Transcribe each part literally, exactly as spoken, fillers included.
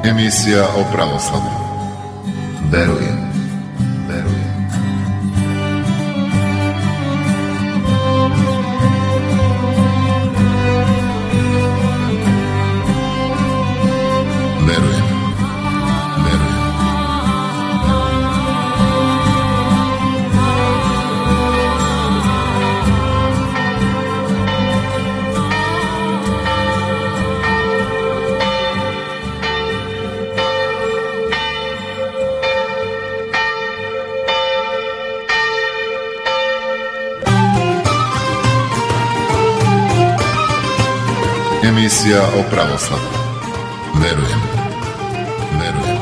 Emisija o pravoslavlju. Verujem, verujem. Verujem, verujem. Emisija o pravoslavlju. Verujem, verujem.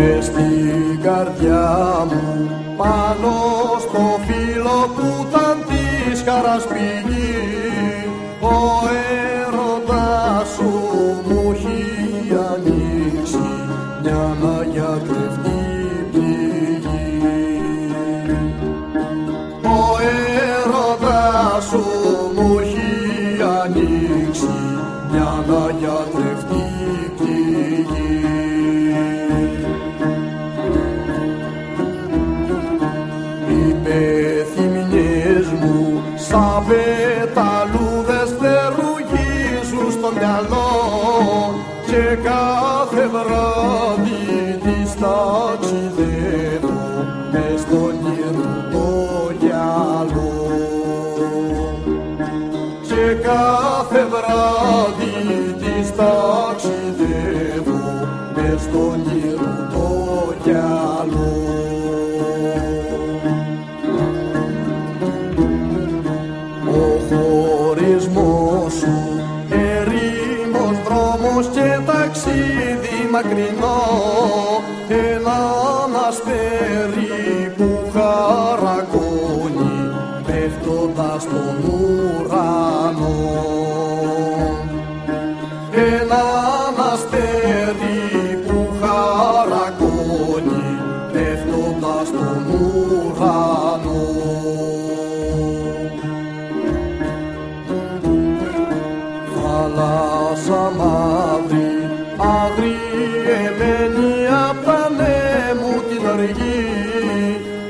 Μες στην καρδιά μου πάνω στο φύλλο που ήταν της χαράς πηγή, ο έρωτας σου μου έχει ανοίξει μια αγιατρευτή πληγή. Ο έρωτας σου μου έχει ανοίξει μια αγιατρευτή πληγή. Θυμινιές μου σαν πεταλούδες φτερουγίζουν στο μυαλό και κάθε βράδυ τις ταξιδεύω μες στον ήρου το γυαλό. Και κάθε βράδυ τις ταξιδεύω μες στον ήρου το γυαλό. Και ταξίδι μακρινό, έναν αστέρι που χαρακώνει πέφτοντας στον ουρανό. Έναν αστέρι που χαρακώνει πέφτοντας στον ουρανό. Θάλασσα μαύρη, αγριεμένη απ' τα νέμου την οργή,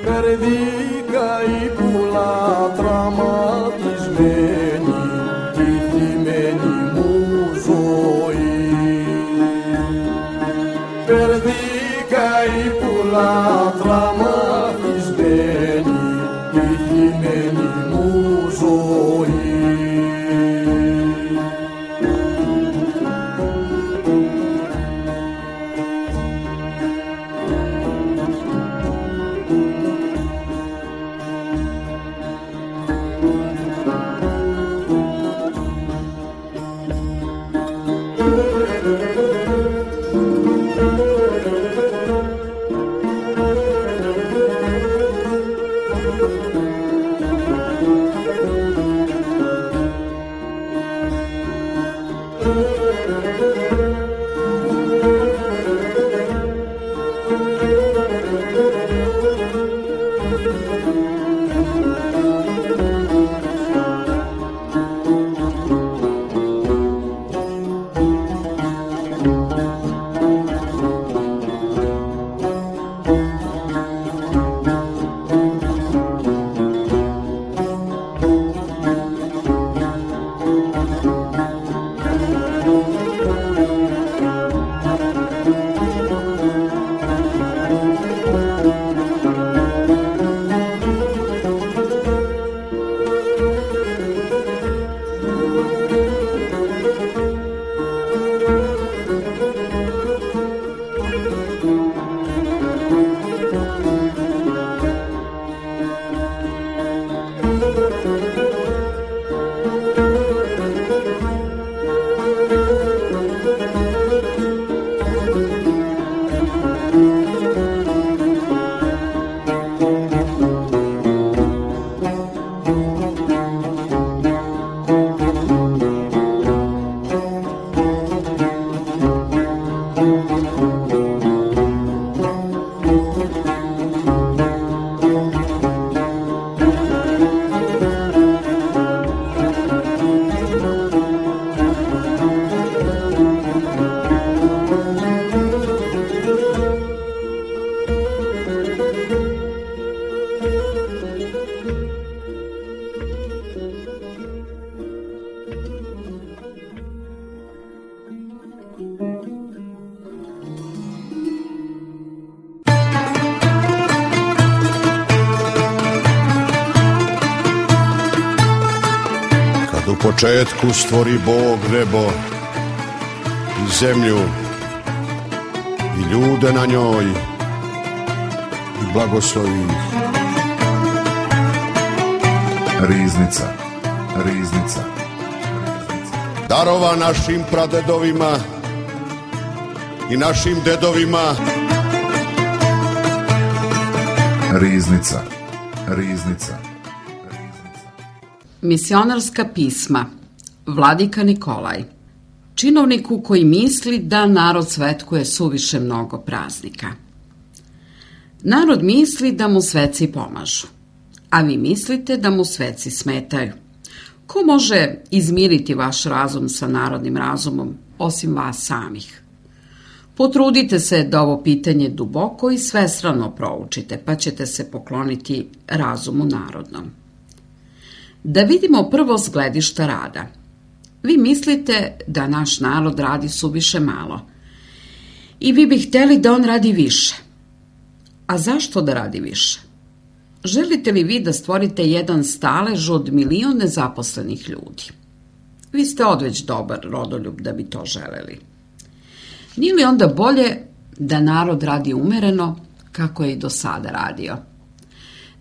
περδίκα η πουλά τραυματισμένη, τη θλιμμένη μου ζωή. Περδίκα η πουλά τραυματισμένη, τη θλιμμένη μου ζωή. U početku stvori Bog nebo i zemlju i ljude na njoj i blagoslovi ih. Riznica, riznica. Darova našim pradedovima i našim dedovima. Riznica, riznica. Misionarska pisma. Vladika Nikolaj. Činovniku koji misli da narod svetkuje suviše mnogo praznika. Narod misli da mu sveci pomažu, a vi mislite da mu sveci smetaju. Ko može izmiriti vaš razum sa narodnim razumom, osim vas samih? Potrudite se da ovo pitanje duboko i svestrano proučite, pa ćete se pokloniti razumu narodnom. Da vidimo prvo s gledišta rada. Vi mislite da naš narod radi suviše malo i vi bi hteli da on radi više. A zašto da radi više? Želite li vi da stvorite jedan stalež od milion nezaposlenih ljudi? Vi ste odveć dobar rodoljub da bi to želeli. Nije li onda bolje da narod radi umereno kako je i do sada radio?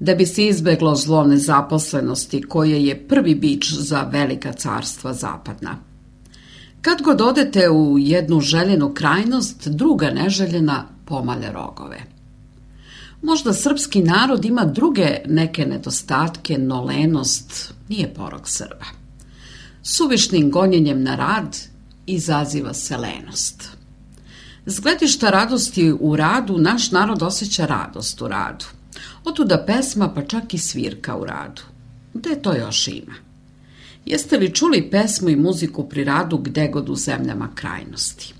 Da bi se izbeglo zlo nezaposlenosti koje je prvi bič za velika carstva zapadna. Kad god odete u jednu željenu krajnost, druga neželjena pomalje rogove. Možda srpski narod ima druge neke nedostatke, no lenost nije porok Srba. Suvišnim gonjenjem na rad izaziva se lenost. S gledišta radosti u radu, naš narod osjeća radost u radu. Otuda pesma, pa čak i svirka u radu. Gde to još ima? Jeste li čuli pesmu i muziku pri radu gde god u zemljama krajnosti?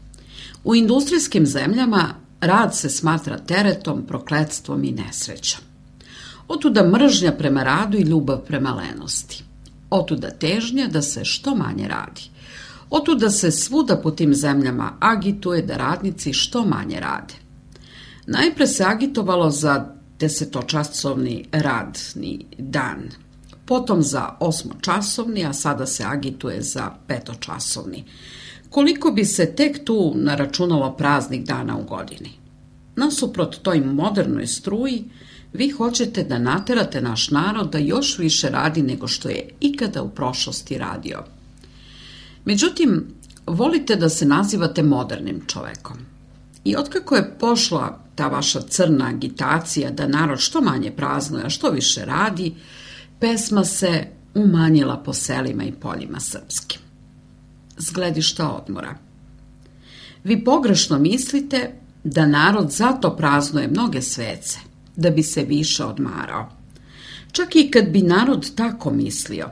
U industrijskim zemljama rad se smatra teretom, prokletstvom i nesrećom. Otuda mržnja prema radu i ljubav prema lenosti. Otuda težnja da se što manje radi. Otuda se svuda po tim zemljama agituje da radnici što manje rade. Najpre se agitovalo za desetočasovni radni dan, potom za osmočasovni, a sada se agituje za petočasovni. Koliko bi se tek tu naračunalo praznih dana u godini? Nasuprot toj modernoj struji, vi hoćete da naterate naš narod da još više radi nego što je ikada u prošlosti radio. Međutim, volite da se nazivate modernim čovekom. I otkako je pošla ta vaša crna agitacija da narod što manje praznuje, a što više radi, pesma se umanjila po selima i poljima srpskim. s gledišta odmora. Vi pogrešno mislite da narod zato praznuje mnoge svece, da bi se više odmarao. Čak i kad bi narod tako mislio,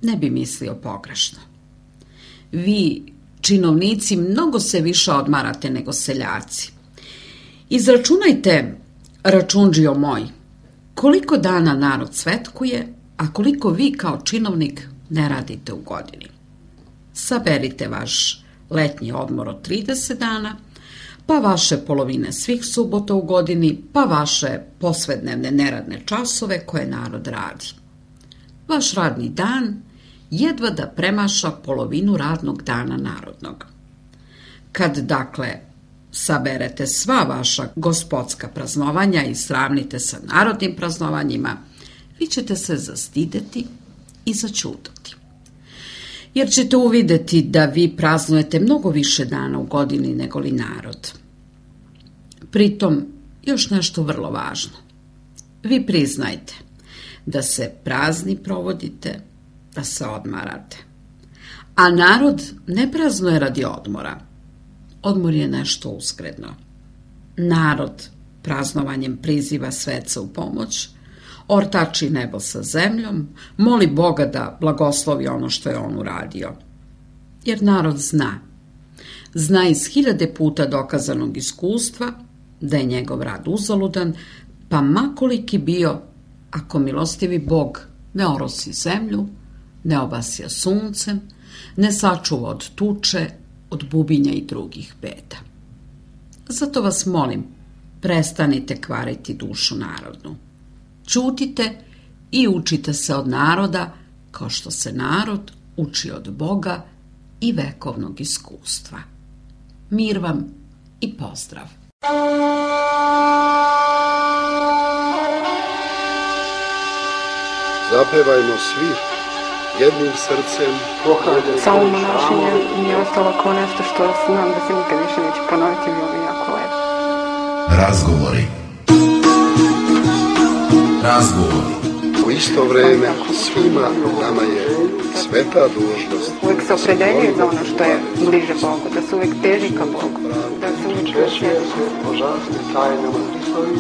ne bi mislio pogrešno. Vi, činovnici, mnogo se više odmarate nego seljaci. Izračunajte, račundžio moj, koliko dana narod svetkuje, a koliko vi kao činovnik ne radite u godini. Saberite vaš letnji odmor od trideset dana, pa vaše polovine svih subota u godini, pa vaše posvednevne neradne časove koje narod radi. Vaš radni dan jedva da premaša polovinu radnog dana narodnog. Kad, dakle, saberete sva vaša gospodska praznovanja i sravnite sa narodnim praznovanjima, vi ćete se zastideti i začudati. Jer ćete uvideti da vi praznujete mnogo više dana u godini nego li narod. Pritom, još nešto vrlo važno. Vi priznajte da se prazni provodite, da se odmarate. A narod ne praznuje radi odmora. Odmor je nešto uskredno. Narod praznovanjem priziva sveca u pomoć, ortači nebo sa zemljom, moli Boga da blagoslovi ono što je on uradio. Jer narod zna. Zna iz hiljade puta dokazanog iskustva da je njegov rad uzaludan, pa makoliki bio, ako milostivi Bog ne orosi zemlju, ne obasja suncem, ne sačuva od tuče, od bubinja i drugih beda. Zato vas molim, prestanite kvariti dušu narodnu. Ćutite i učite se od naroda, kao što se narod uči od Boga i vekovnog iskustva. Mir vam i pozdrav! Zapevajmo svi jednim srcem. Samo monašenje mi je ostalo kao nešto što znam da se nikad više neće ponoviti, bilo mi jako lepo. Razgovori. Razgovori. U isto vreme svima nama je sveta dužnost. Uvijek se opredeljuje za ono što je bliže Bogu, da se uvijek teži ka Bogu, da se uvijek češće božanstve tajne u Hristovi,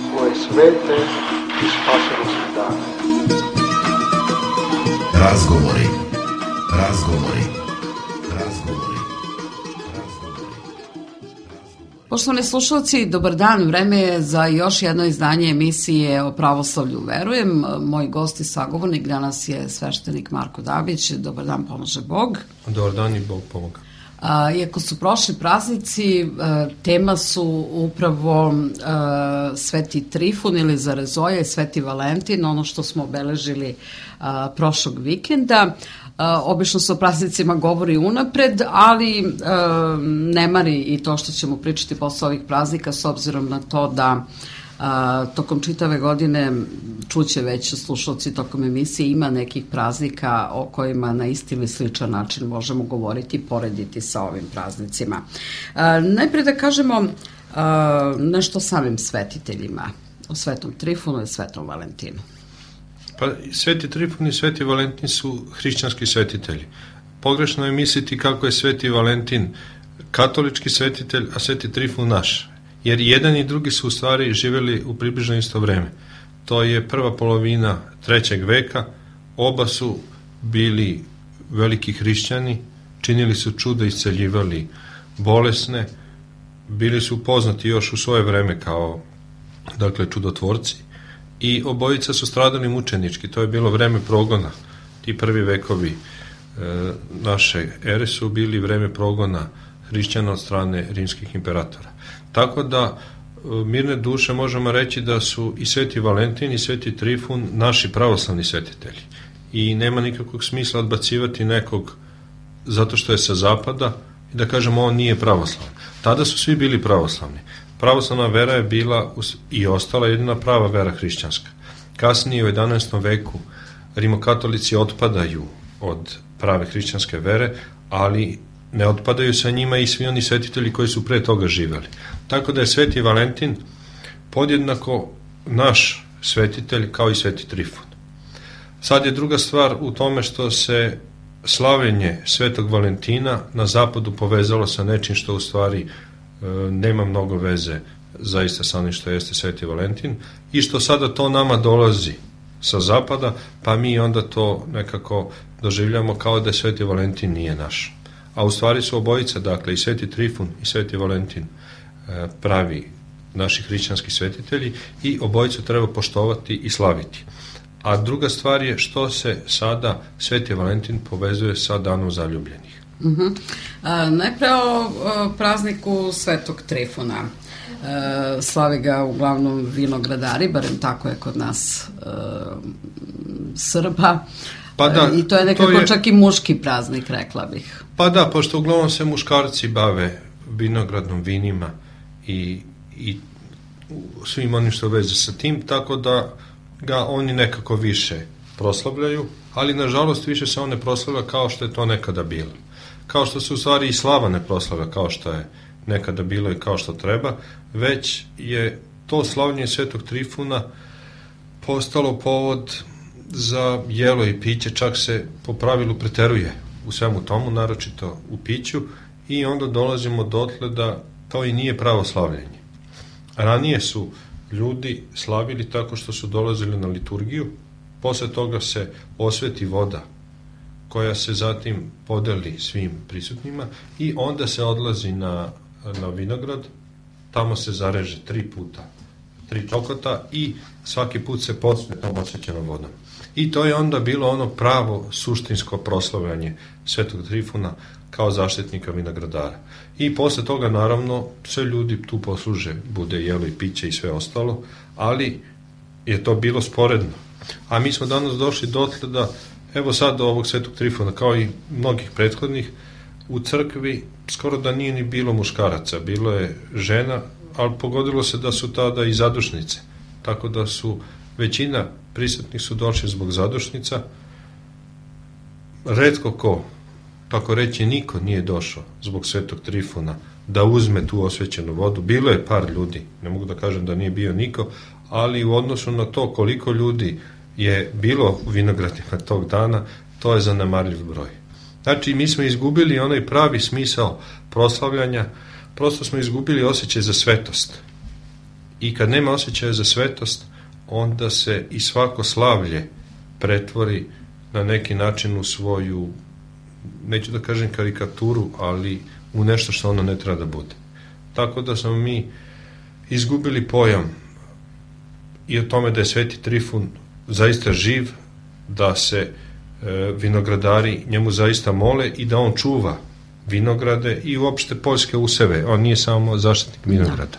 svoje svete i spasenosti dane. Razgovori. Razgovori. Razgovori. Poštovani slušalci, dobar dan, vreme je za još jedno izdanje emisije o pravoslavlju verujem. Moj gost i sagovornik danas je sveštenik Marko Dabić. Dobar dan, pomaže Bog. Dobar dan i Bog pomoga. A, iako su prošli praznici, a, tema su upravo a, Sveti Trifun ili Zarezoja i Sveti Valentin, ono što smo obeležili a, prošlog vikenda. A, obično se o praznicima govori unapred, ali a, ne mari i to što ćemo pričati posle ovih praznika, s obzirom na to da a, tokom čitave godine čuće već slušalci tokom emisije ima nekih praznika o kojima na isti ili sličan način možemo govoriti i porediti sa ovim praznicima. A, najpre da kažemo a, nešto o samim svetiteljima, o Svetom Trifunu i Svetom Valentinu. Pa Sveti Trifun i Sveti Valentin su hrišćanski svetitelji. Pogrešno je misliti kako je Sveti Valentin katolički svetitelj, a Sveti Trifun naš. Jer jedan i drugi su u stvari živjeli u približno isto vreme. To je prva polovina trećeg veka, oba su bili veliki hrišćani, činili su čuda, isceljivali bolesne, bili su poznati još u svoje vreme kao, dakle, čudotvorci i obojica su stradali mučenički, to je bilo vreme progona. Ti prvi vekovi e, naše ere su bili vreme progona hrišćana od strane rimskih imperatora. Tako da mirne duše možemo reći da su i Sveti Valentin i Sveti Trifun naši pravoslavni svetitelji. I nema nikakvog smisla odbacivati nekog zato što je sa zapada i da kažemo on nije pravoslavan. Tada su svi bili pravoslavni. Pravoslavna vera je bila i ostala jedina prava vera hrišćanska. Kasnije u jedanaestom veku rimokatolici otpadaju od prave hrišćanske vere, ali ne otpadaju sa njima i svi oni svetitelji koji su pre toga živeli. Tako da je Sveti Valentin podjednako naš svetitelj kao i Sveti Trifun. Sad je druga stvar u tome što se slavljenje Svetog Valentina na zapadu povezalo sa nečim što u stvari e, nema mnogo veze zaista sa onim što jeste Sveti Valentin i što sada to nama dolazi sa zapada, pa mi onda to nekako doživljamo kao da Sveti Valentin nije naš. A u stvari su obojica, dakle i Sveti Trifun i Sveti Valentin e, pravi naši hrišćanski svetitelji i obojicu treba poštovati i slaviti. A druga stvar je što se sada Sveti Valentin povezuje sa danom zaljubljenih. Uh-huh. A, najpre o, o prazniku Svetog Trifuna. E, slavi ga uglavnom vinogradari, barem tako je kod nas e, Srba. Pa da, e, I to je nekako to je, čak i muški praznik, rekla bih. Pa da, pošto uglavnom se muškarci bave vinogradnom vinima i, i svim onim što veze sa tim, tako da ga oni nekako više proslavljaju, ali nažalost više se on ne proslavlja kao što je to nekada bilo. Kao što se u stvari i slava ne proslavlja kao što je nekada bilo i kao što treba, već je to slavljenje Svetog Trifuna postalo povod za jelo i piće, čak se po pravilu preteruje u svemu tomu, naročito u piću, i onda dolazimo dotle da to i nije pravo slavljenje. Ranije su ljudi slavili tako što su dolazili na liturgiju, posle toga se osveti voda koja se zatim podeli svim prisutnima i onda se odlazi na, na vinograd, tamo se zareže tri puta, tri čokota i svaki put se pospe tom osvećenom vodom. I to je onda bilo ono pravo suštinsko proslavljanje Svetog Trifuna kao zaštitnika vinogradara. I posle toga naravno sve ljudi tu posluže, bude jelo i piće i sve ostalo, ali je to bilo sporedno. A mi smo danas došli dotle da, evo sad do ovog Svetog Trifuna, kao i mnogih prethodnih, u crkvi skoro da nije ni bilo muškaraca, bilo je žena, ali pogodilo se da su tada i zadušnice, tako da su većina prisutnih su došli zbog zadušnica, retko ko, tako reći niko nije došao zbog Svetog Trifuna da uzme tu osvećenu vodu. Bilo je par ljudi, ne mogu da kažem da nije bio niko, ali u odnosu na to koliko ljudi je bilo u vinogradima tog dana, to je zanemarljiv broj. Znači, mi smo izgubili onaj pravi smisao proslavljanja, prosto smo izgubili osjećaj za svetost. I kad nema osjećaja za svetost, onda se i svako slavlje pretvori na neki način u svoju, neću da kažem karikaturu, ali u nešto što ono ne treba da bude. Tako da smo mi izgubili pojam i o tome da je Sveti Trifun zaista živ, da se e, vinogradari njemu zaista mole i da on čuva vinograde i uopšte poljske useve. On nije samo zaštitnik vinograda.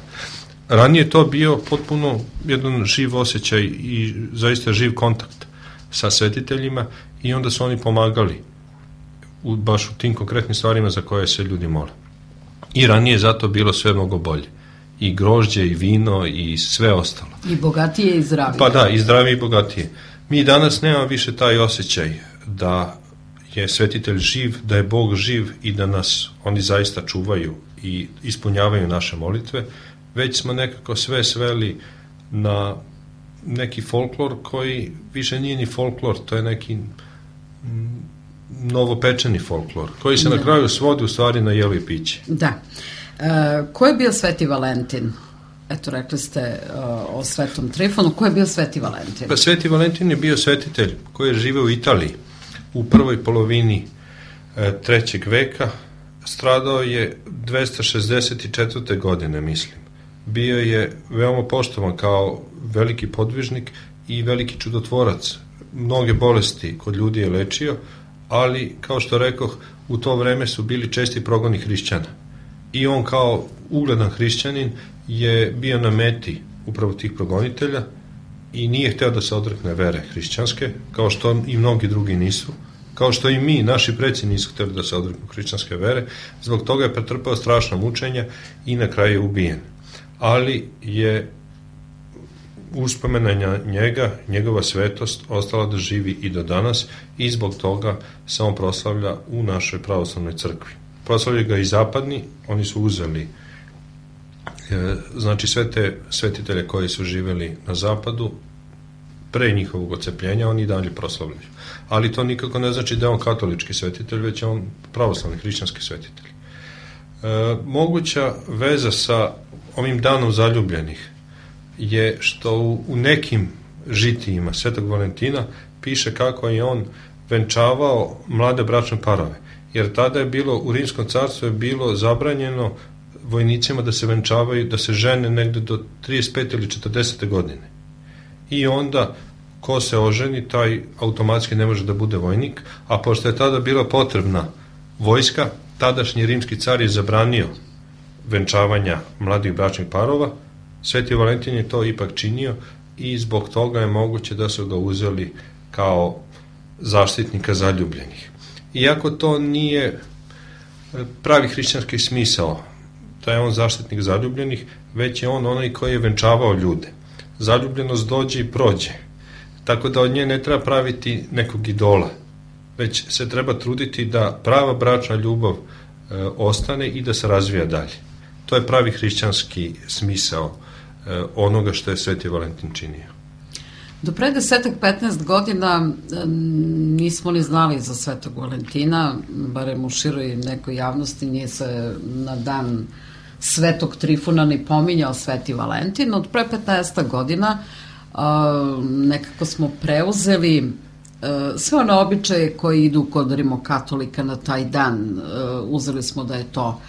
Ranije to bio potpuno jedan živ osjećaj i zaista živ kontakt sa svetiteljima i onda su oni pomagali u, baš u tim konkretnim stvarima za koje se ljudi mole. I ranije zato bilo sve mnogo bolje. I grožđe, i vino, i sve ostalo. I bogatije i zdravije. Pa da, i zdravije i bogatije. Mi danas nemamo više taj osjećaj da je svetitelj živ, da je Bog živ i da nas oni zaista čuvaju i ispunjavaju naše molitve, već smo nekako sve sveli na neki folklor koji više nije ni folklor, to je neki novopečeni folklor, koji se da. na kraju svodi u stvari na jelo i piće. Da. E, ko je bio Sveti Valentin? Eto, rekli ste uh, o Svetom Trifunu. Ko je bio Sveti Valentin? Pa Sveti Valentin je bio svetitelj koji je živeo u Italiji u prvoj polovini e, trećeg veka. Stradao je dvesta šezdeset četvrte godine, mislim. Bio je veoma poštovan kao veliki podvižnik i veliki čudotvorac. Mnoge bolesti kod ljudi je lečio, ali, kao što rekoh, u to vreme su bili česti progoni hrišćana. I on kao ugledan hrišćanin je bio na meti upravo tih progonitelja i nije hteo da se odrekne vere hrišćanske, kao što i mnogi drugi nisu, kao što i mi, naši preci nisu hteli da se odreknu hrišćanske vere, zbog toga je pretrpeo strašna mučenja i na kraju je ubijen. Ali je uspomena njega, njegova svetost ostala da živi i do danas i zbog toga se on proslavlja u našoj pravoslavnoj crkvi. Proslavljaju ga i zapadni, oni su uzeli e, znači sve te svetitelje koji su živeli na zapadu, pre njihovog ocepljenja, oni dalje proslavljaju. Ali to nikako ne znači da je on katolički svetitelj, već je on pravoslavni hrišćanski svetitelj. E, moguća veza sa ovim danom zaljubljenih je što u, u nekim žitijima Svetog Valentina piše kako je on venčavao mlade bračne parove, jer tada je bilo, u Rimskom carstvu je bilo zabranjeno vojnicima da se venčavaju, da se žene negde do trideset pete ili četrdesete godine. I onda ko se oženi, taj automatski ne može da bude vojnik, a pošto je tada bila potrebna vojska, tadašnji rimski car je zabranio venčavanja mladih bračnih parova. Sveti Valentin je to ipak činio i zbog toga je moguće da su ga uzeli kao zaštitnika zaljubljenih. Iako to nije pravi hrišćanski smisao da je on zaštitnik zaljubljenih, već je on onaj koji je venčavao ljude. Zaljubljenost dođe i prođe, tako da od nje ne treba praviti nekog idola, već se treba truditi da prava bračna ljubav e, ostane i da se razvija dalje. To je pravi hrišćanski smisao e, onoga što je Sveti Valentin činio. Do pre desetak petnaest godina nismo ni znali za Svetog Valentina, barem u široj nekoj javnosti nije se na dan Svetog Trifuna ni pominjao Sveti Valentin. Od pre petnaest godina nekako smo preuzeli sve one običaje koji idu kod rimokatolika na taj dan. Uzeli smo da je to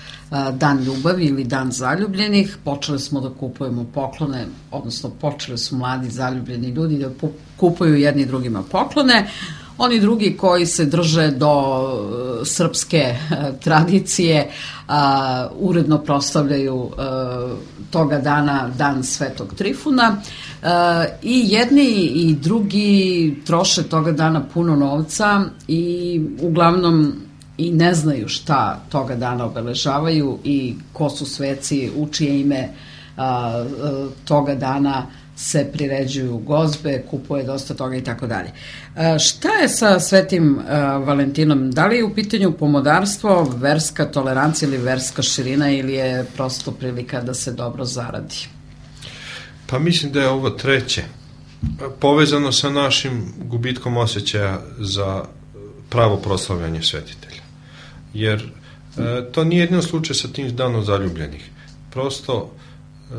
dan ljubavi ili dan zaljubljenih, počeli smo da kupujemo poklone, odnosno počeli su mladi zaljubljeni ljudi da kupuju jedni drugima poklone. Oni drugi koji se drže do srpske tradicije a, uredno proslavljaju a, toga dana dan Svetog Trifuna a, i jedni i drugi troše toga dana puno novca i uglavnom i ne znaju šta toga dana obeležavaju i ko su sveci, u čije ime a, a, toga dana se priređuju gozbe, kupuje dosta toga i tako dalje. Šta je sa Svetim Valentinom? Da li je u pitanju pomodarstvo, verska tolerancija ili verska širina ili je prosto prilika da se dobro zaradi? Pa mislim da je ovo treće. Povezano sa našim gubitkom osjećaja za pravo proslavljanje svetitelja. Jer e, to nije jedino slučaj sa tim danom zaljubljenih. Prosto e,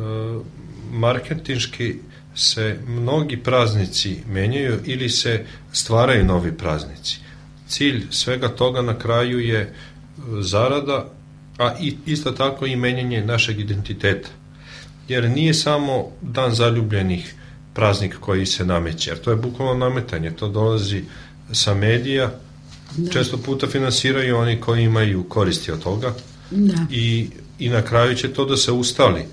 marketinški se mnogi praznici menjaju ili se stvaraju novi praznici. Cilj svega toga na kraju je zarada, a i, isto tako i menjanje našeg identiteta. Jer nije samo dan zaljubljenih praznik koji se nameće, jer to je bukvalno nametanje, to dolazi sa medija, da. Često puta finansiraju oni koji imaju koristi od toga da. I, i na kraju će to da se ustali.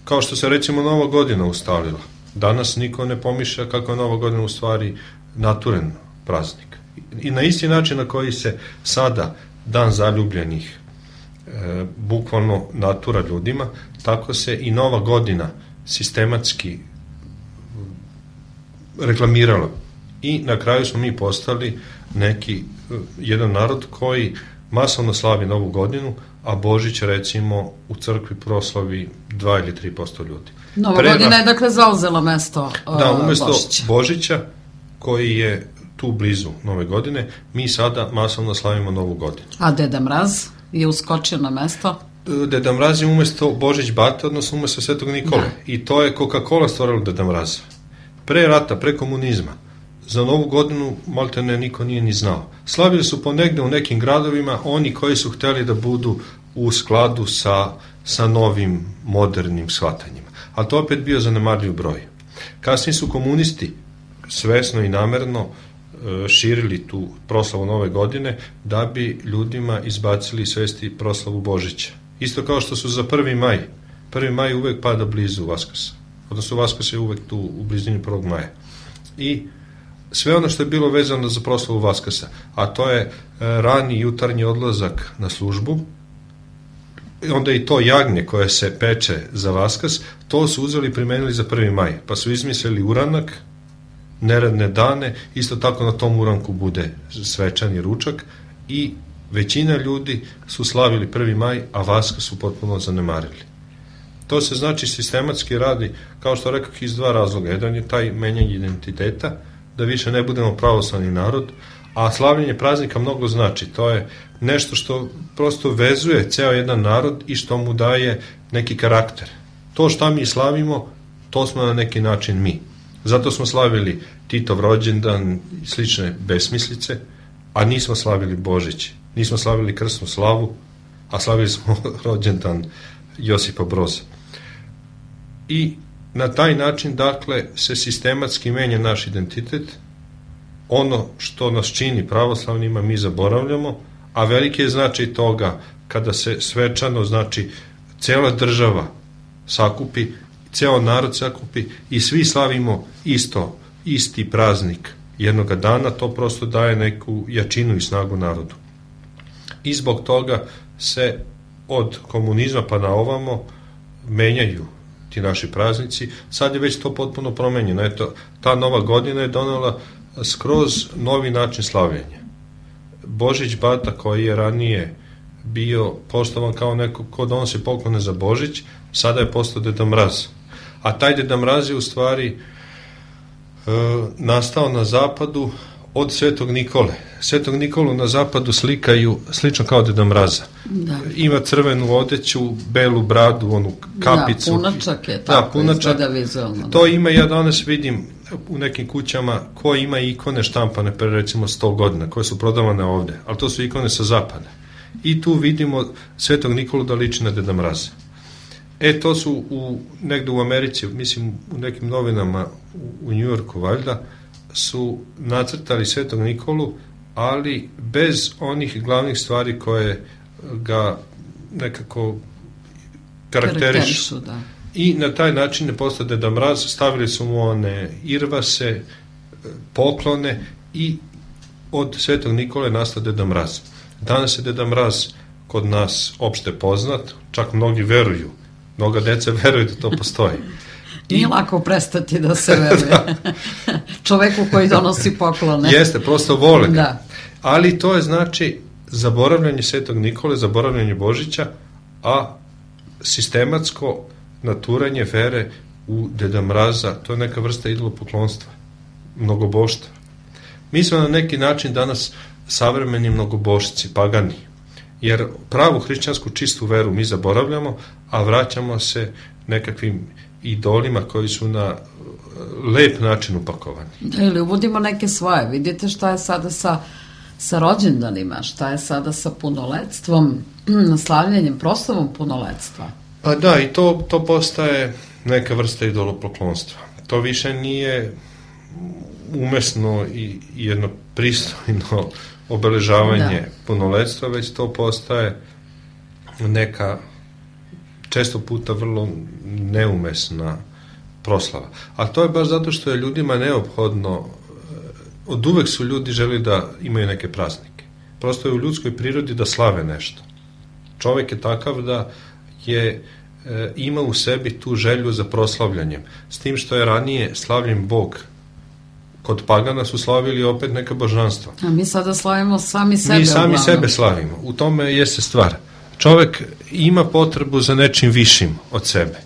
Kao što se recimo Nova godina ustalila. Danas niko ne pomišlja kako je Nova godina u stvari naturen praznik. I na isti način na koji se sada dan zaljubljenih e, bukvalno natura ljudima, tako se i Nova godina sistematski reklamirala. I na kraju smo mi postali neki, jedan narod koji masovno slavi Novu godinu, a Božić recimo u crkvi proslavi dva ili tri posto ljudi. Nova Pre, godina je dakle zauzela mesto uh, da, umesto Božića. Božića koji je tu blizu Nove godine, mi sada masovno slavimo Novu godinu. A Deda Mraz je uskočio na mesto? Deda Mraz je umesto Božić Bate, odnosno umesto Svetog Nikole. Da. I to je Coca-Cola stvorila Deda Mraza. Pre rata, pre komunizma, za Novu godinu maltene niko nije ni znao. Slavili su ponegde u nekim gradovima oni koji su hteli da budu u skladu sa, sa novim modernim shvatanjima. A to opet bio zanemarljiv broj. Kasnije su komunisti svesno i namerno e, širili tu proslavu Nove godine da bi ljudima izbacili svesti proslavu Božića. Isto kao što su za prvi maj. prvi maj uvek pada blizu Vaskrsa. Odnosno Vaskrs je uvek tu u blizini prvog maja. I sve ono što je bilo vezano za proslavu Vaskrsa, a to je e, rani jutarnji odlazak na službu, onda i to jagnje koje se peče za Vaskrs, to su uzeli i primenili za prvi maj, pa su izmislili uranak, neradne dane, isto tako na tom uranku bude svečani ručak i većina ljudi su slavili prvi maj, a Vaskrs su potpuno zanemarili. To se znači sistematski radi, kao što rekao, iz dva razloga. Jedan je taj menjanje identiteta, da više ne budemo pravoslavni narod, a slavljenje praznika mnogo znači. To je nešto što prosto vezuje ceo jedan narod i što mu daje neki karakter. To što mi slavimo, to smo na neki način mi. Zato smo slavili Titov rođendan i slične besmislice, a nismo slavili Božić, nismo slavili krsnu slavu, a slavili smo rođendan Josipa Broza. I na taj način, dakle, se sistematski menja naš identitet. Ono što nas čini pravoslavnima mi zaboravljamo, a veliki je značaj toga kada se svečano, znači, cela država sakupi, ceo narod sakupi i svi slavimo isto, isti praznik jednoga dana, to prosto daje neku jačinu i snagu narodu. I zbog toga se od komunizma pa na ovamo menjaju ti naši praznici. Sad je već to potpuno promenjeno. Eto, ta nova godina je donela skroz novi način slavljenja. Božić Bata, koji je ranije bio poštovan kao neko ko donosi poklone za Božić, sada je postao Deda Mraz. A taj Deda Mraz je u stvari e, nastao na zapadu od Svetog Nikole. Svetog Nikolu na zapadu slikaju slično kao Deda Mraza. Da. Ima crvenu odeću, belu bradu, onu kapicu. Da, punačak je tako, da, punačak, izgleda vizualno. To ima, ja danas vidim u nekim kućama ko ima ikone štampane pre recimo sto godina, koje su prodavane ovde, ali to su ikone sa zapada. I tu vidimo Svetog Nikolu da liči na Deda Mraza. E, to su u, negde u Americi, mislim u nekim novinama u, u Njujorku valjda, su nacrtali Svetog Nikolu, ali bez onih glavnih stvari koje ga nekako karakterišu. Da. I na taj način je postao Deda Mraz, stavili su mu one irvase, poklone i od Svetog Nikole nastao Deda Mraz. Danas je Deda Mraz kod nas opšte poznat, čak mnogi veruju, mnoga deca veruju da to postoji. Nije lako prestati da se veruje. Da. Čoveku koji donosi poklone. Jeste, prosto vole ga. Da. Ali to je znači zaboravljanje Svetog Nikole, zaboravljanje Božića, a sistematsko naturanje vere u Deda Mraza, to je neka vrsta idolopoklonstva, mnogoboštva. Mi smo na neki način danas savremeni mnogobošci, pagani, jer pravu hrišćansku čistu veru mi zaboravljamo, a vraćamo se nekakvim idolima koji su na lep način upakovani. Da, ili uvodimo neke svoje. Vidite šta je sada sa, sa rođendanima, šta je sada sa punoletstvom, slavljanjem, proslavom punoletstva. Pa da, i to, to postaje neka vrsta idolopoklonstva. To više nije umesno i jedno pristojno obeležavanje da. punoletstva, već to postaje neka često puta vrlo neumesna proslava. A to je baš zato što je ljudima neophodno, od uvek su ljudi želi da imaju neke praznike. Prosto je u ljudskoj prirodi da slave nešto. Čovek je takav da je e, ima u sebi tu želju za proslavljanjem. S tim što je ranije slavljen Bog. Kod pagana su slavili opet neka božanstva. A mi sada slavimo sami sebe. Mi sami uglavnom. sebe slavimo. U tome jeste stvar. Čovek ima potrebu za nečim višim od sebe.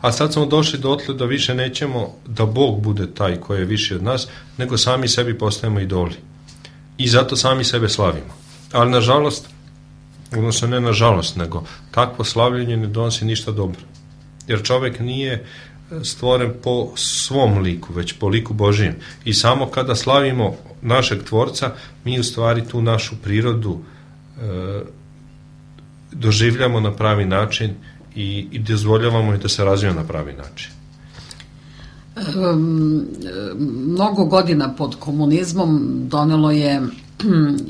A sad smo došli dotle da više nećemo da Bog bude taj koji je viši od nas, nego sami sebi postajemo idoli. I zato sami sebe slavimo. Ali nažalost, odnosno ne nažalost, nego takvo slavljenje ne donosi ništa dobro. Jer čovek nije stvoren po svom liku, već po liku Božijem. I samo kada slavimo našeg Tvorca, mi u stvari tu našu prirodu e, doživljamo na pravi način i, i dozvoljavamo i da se razvija na pravi način. Um, mnogo godina pod komunizmom donelo je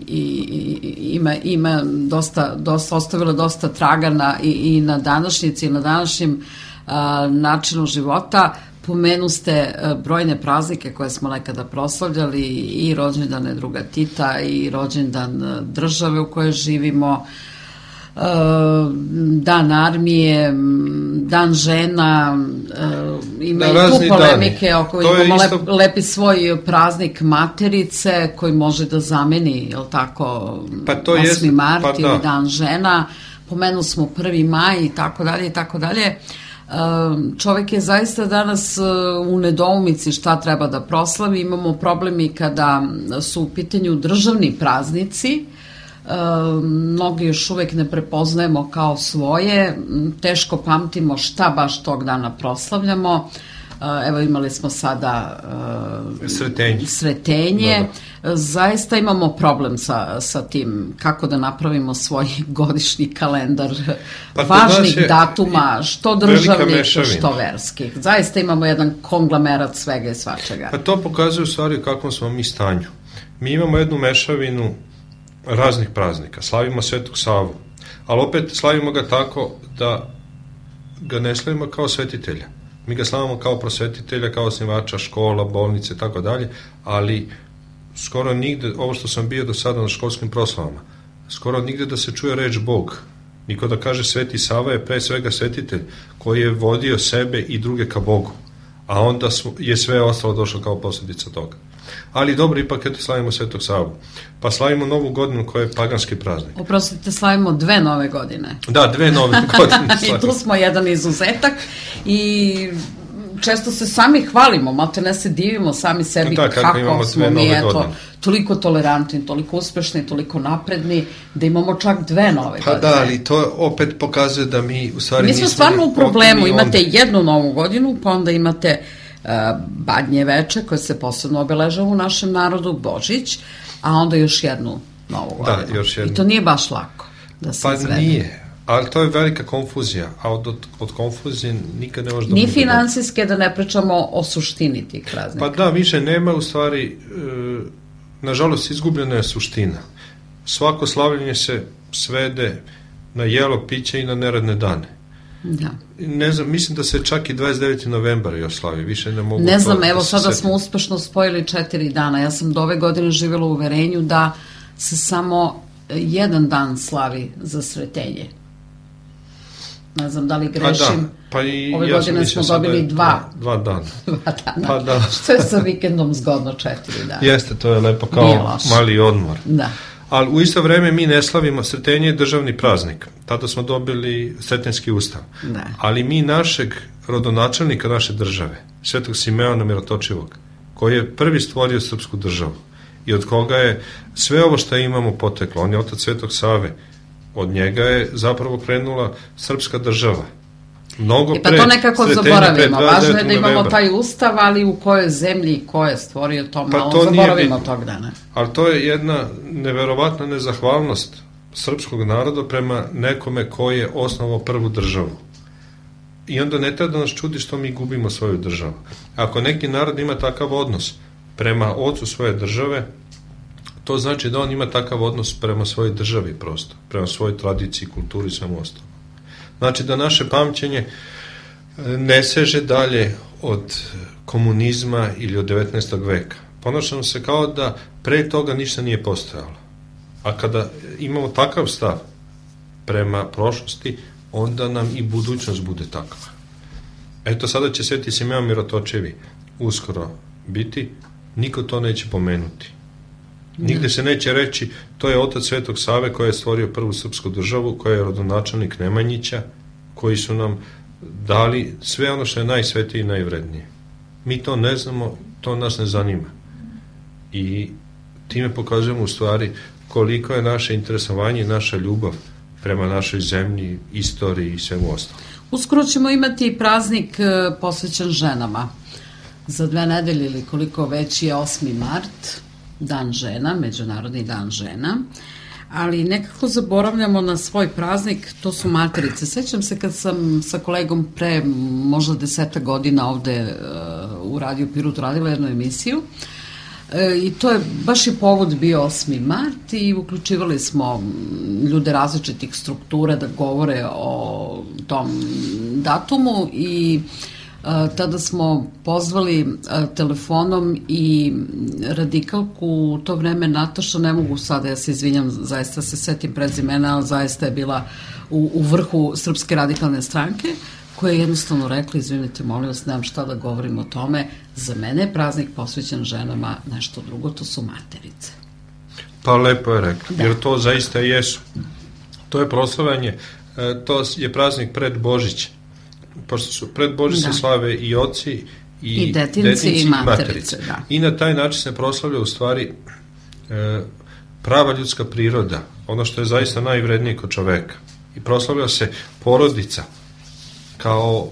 i, i ima, ima dosta, dosta, ostavilo dosta traga na, i, i na današnjici i na današnjem a, načinu života. Pomenu ste brojne praznike koje smo nekada proslavljali, i rođendane druga Tita i rođendan države u kojoj živimo, Dan armije, Dan žena, ima i tu polemike oko imamo isto... lep, lepi svoj praznik Materice koji može da zameni, je li tako, pa to osmi mart pa ili da. Dan žena, pomenu smo prvi maj i tako dalje i tako dalje. Čovjek je zaista danas u nedoumici šta treba da proslavi. Imamo problemi kada su u pitanju državni praznici. Mnogi još uvek ne prepoznajemo kao svoje. Teško pamtimo šta baš tog dana proslavljamo. Evo, imali smo sada uh, sretenje, sretenje. Da, da. Zaista imamo problem sa, sa tim kako da napravimo svoj godišnji kalendar pa važnih datuma, što državnih, što verskih. Zaista imamo jedan konglomerat svega i svačega. Pa to pokazuje u stvari u kakvom smo mi stanju. Mi imamo jednu mešavinu raznih praznika. Slavimo Svetog Savu, ali opet slavimo ga tako da ga ne slavimo kao svetitelja. Mi ga slavimo kao prosvetitelja, kao osnivača škola, bolnice i tako dalje, ali skoro nigde, ovo što sam bio do sada na školskim proslavama, skoro nigde da se čuje reč Bog. Niko da kaže Sveti Sava je pre svega svetitelj koji je vodio sebe i druge ka Bogu, a onda je sve ostalo došlo kao posljedica toga. Ali dobro, ipak eto slavimo Svetog Savu. Pa slavimo Novu godinu koja je paganski praznik. Oprostite, slavimo dve nove godine. Da, dve nove godine. I tu smo jedan izuzetak i često se sami hvalimo, malte ne se divimo sami sebi da, kako, kako smo mi eto, toliko tolerantni, toliko uspešni, toliko napredni, da imamo čak dve nove pa godine. Da, ali to opet pokazuje da mi u stvari mi smo stvarno u problemu, imate jednu novu godinu, pa onda imate uh, Badnje veče koje se posebno obeležava u našem narodu, Božić, a onda još jednu novu godinu. Da, još jednu. I to nije baš lako da se pa izvede. Pa nije. Ali to je velika konfuzija, a od, od, od konfuzije nikad ne može da... Ni finansijske, da ne pričamo o suštini tih praznika. Pa da, više nema u stvari, e, nažalost izgubljena je suština. Svako slavljenje se svede na jelo, piće i na neradne dane. Da. Ne znam, mislim da se čak i dvadeset deveti novembar još slavi, više ne mogu... Ne znam, evo da sada setim. Smo uspešno spojili četiri dana. Ja sam do ove godine živjela u uverenju da se samo jedan dan slavi za sretenje. Ne znam da li grešim. Pa da, pa i ove ja godine smo dobili je, dva. Dva dana. Dva dana. Pa da. Što je sa vikendom zgodno četiri dana. Jeste, to je lepo kao mali odmor. Da. Ali u isto vreme mi ne slavimo, sretenje je državni praznik. Tada smo dobili Sretenjski ustav. Da. Ali mi našeg rodonačelnika naše države, Svetog Simeona Mirotočivog, koji je prvi stvorio srpsku državu i od koga je sve ovo što imamo poteklo, on je otac Svetog Save, od njega je zapravo krenula srpska država. Mnogo e pa to nekako zaboravimo. Važno je da imamo novembra. Taj ustav, ali u kojoj zemlji i ko je stvorio to, malo pa to zaboravimo tog dana. Ali to je jedna neverovatna nezahvalnost srpskog naroda prema nekome koji je osnovao prvu državu. I onda ne treba da nas čudi što mi gubimo svoju državu. Ako neki narod ima takav odnos prema ocu svoje države, to znači da on ima takav odnos prema svojoj državi prosto, prema svojoj tradiciji, kulturi i svemu ostalo. Znači da naše pamćenje ne seže dalje od komunizma ili od devetnaestog veka. Ponašamo se kao da pre toga ništa nije postojalo. A kada imamo takav stav prema prošlosti, onda nam i budućnost bude takva. Eto, sada će Sveti Simeon Mirotočevi uskoro biti, niko to neće pomenuti. Nigde se neće reći, to je otac Svetog Save koji je stvorio prvu srpsku državu, koji je rodonačelnik Nemanjića, koji su nam dali sve ono što je najsvetije i najvrednije. Mi to ne znamo, to nas ne zanima. I time pokazujemo u stvari koliko je naše interesovanje i naša ljubav prema našoj zemlji, istoriji i svemu ostalo. Uskoro ćemo imati praznik posvećen ženama. Za dve nedelje ili koliko već je osmi mart, Dan žena, Međunarodni dan žena, ali nekako zaboravljamo na svoj praznik, to su materice. Sećam se kad sam sa kolegom pre možda deseta godina ovde uh, u Radio Pirot radila jednu emisiju e, i to je baš i povod bio osmi mart i uključivali smo ljude različitih struktura da govore o tom datumu i tada smo pozvali telefonom i radikalku u to vreme Nataša, ne mogu sada, ja se izvinjam, zaista se setim prezimena, ali zaista je bila u, u vrhu Srpske radikalne stranke, koja je jednostavno rekla, izvinite, molim vas, nemam šta da govorim o tome, za mene je praznik posvećen ženama, nešto drugo, to su materice. Pa lepo je rekla, da. Jer to zaista jesu. To je proslavljanje, to je praznik pred Božić. pošto su pred Bože se Da. slave i oci i, I detinci i materice, da. I na taj način se proslavlja u stvari e, prava ljudska priroda, ono što je zaista najvrednije kod čoveka. I proslavlja se porodica kao